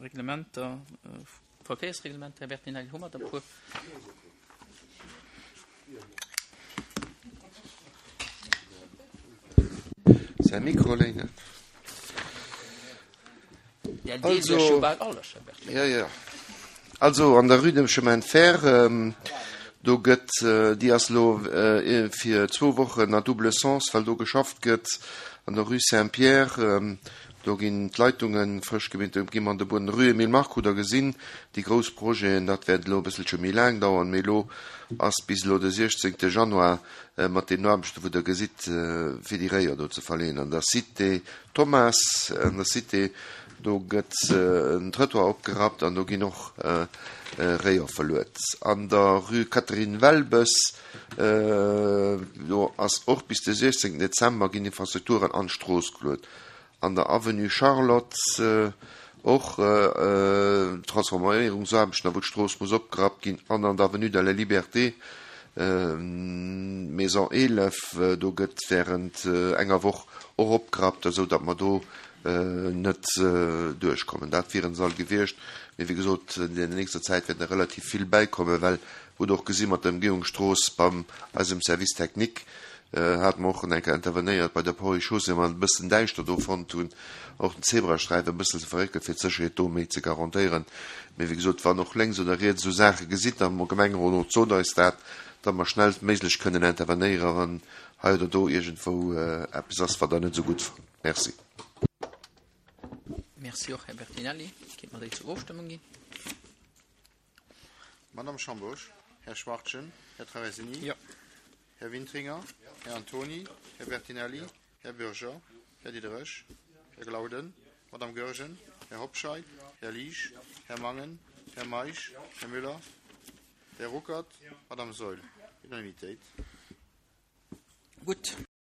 Reglementer, Verkéiersreglementer, Här Bertinelli, hu mer der e puer? Säi Mikro léinen. Also, ja, ja. Also an der Rue dem Chemin de Fer, do gëtt, déi ass elo fir zwou Wochen à double sens, well do geschafft gëtt. An der Rue Saint-Pierre, do ginn d'Leitunge frësch gemeet, do gi mer an de Bueden. Rue Emile Mark hutt Der gesinn, déi grouss Projeten, dat wäert elo e bësselche méi laang dauern, mee elo ass bis elo de 16. Januar mat deenen Aarbechten, wou Der gesitt, fir déi Réier do ze verleeën. An der Cité Thomas an der Cité, do gëtt en Trëttoir opgerappt an do ginn och Réier verluet. An der Rue Catherine Welbes, do ass och bis de 16 Dezember ginn Infrastrukturen an d'Strooss geluet. An der Avenue Charlotte och Transforméierungsaarbechten, wou d'Strooss muss opgerappt ginn. An an der Avenue de la Liberté, Maison 11, do gëtt wärend enger Woch och opgerappt, esou datt mer do net duerchkommen. Dat wieren se all gewiescht. Mee wéi gesot, an der nächster Zäit wäerten der relativ vill bäikommen, well hutt och gesi mat der Ëmgehungsstrooss beim eisem Service technique hate mer och eng Kéier intervenéiert bei der Ponts et Chaussées, wou mer et e bëssen däischter do fonnt hunn, och den Zebrasträifen e bëssen ze verréckelen, fir d'Sécherheet do méi ze garantéieren. Mee wéi gesot, wann och lénks oder riets esou Saache gesitt am Gemengerot, sot eis dat, datt mer schnellstméiglech kënnen intervenéieren, wann hei oder do iergendwou eppes ass, wat Der net esou gutt fannt. Merci. Merci och, Här Bertinelli. Kéint mer déi zur Ofstëmmung ginn? Madame Schambourg, Här Schwachtgen, Här Traversini, Jo. Här Wintringer, Här Antoni, Här Bertinelli, Här Bürger, Här Diderich, Här Glauden, Madame Goergen, Här Hobscheit, Här Liesch, Här Mangen, Här Meisch, Här Müller, Här Ruckert, Madame Saeul. Unanimitéit. Gutt.